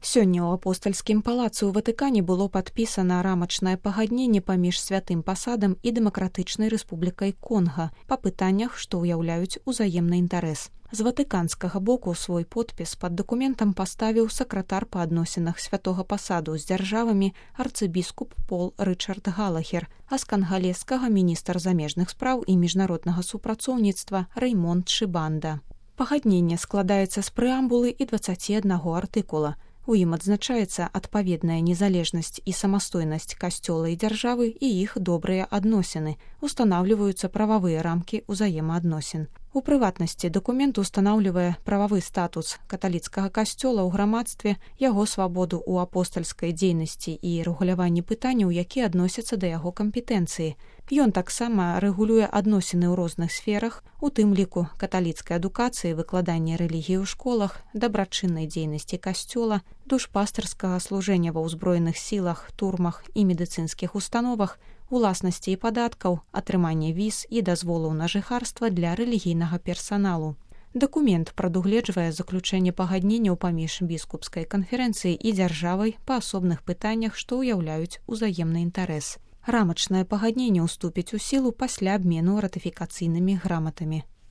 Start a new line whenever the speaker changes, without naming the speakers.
Сёння ў апостальскім палацы ў Ватыкане было падпісана рамачнае пагадненне паміж святым пасадам і дэмакратычнай рэспублікай Конга па пытаннях, што ўяўляюць узаемны інтарэс. З ватыканскага боку свой подпіс пад дакументам паставіў сакратар па адносінах святога пасаду з дзяржавамі арцыбіскуп Пол Рычард Галахер, а з кангалескага міністр замежных спраў і міжнароднага супрацоўніцтва Рэймонд Шыбанда. Пагадненне складаецца з прэамбулы і 21 артыкула. У ім адзначаецца адпаведная незалежнасць і самастойнасць касцёла і дзяржавы і іх добрыя адносіны, устанаўліваюцца прававыя рамкі ўзаемаадносін. У прыватнасці дакумент устанаўлівае прававы статус каталіцкага касцёла ў грамадстве, яго свабоду ў апостальскай дзейнасці і рэгуляванні пытанняў, якія адносяцца да яго кампетэнцыі. Ён таксама рэгулюе адносіны ў розных сферах, у тым ліку каталіцкай адукацыі, выкладання рэлігіі ў школах, дабрачыннай дзейнасці касцёла, душпастарскага служэння ва ўзброеных сілах, турмах і медыцынскіх установах, уласнасці і падаткаў, атрымання віз і дазволаў на жыхарства для рэлігійнага персаналу. Дакумент прадугледжвае заключэнне пагадненняў паміж біскупскай канферэнцыяй і дзяржавай па асобных пытаннях, што ўяўляюць узаемны інтарэс. Рамачнае пагадненне ўступіць у сілу пасля абмену ратыфікацыйнымі граматамі.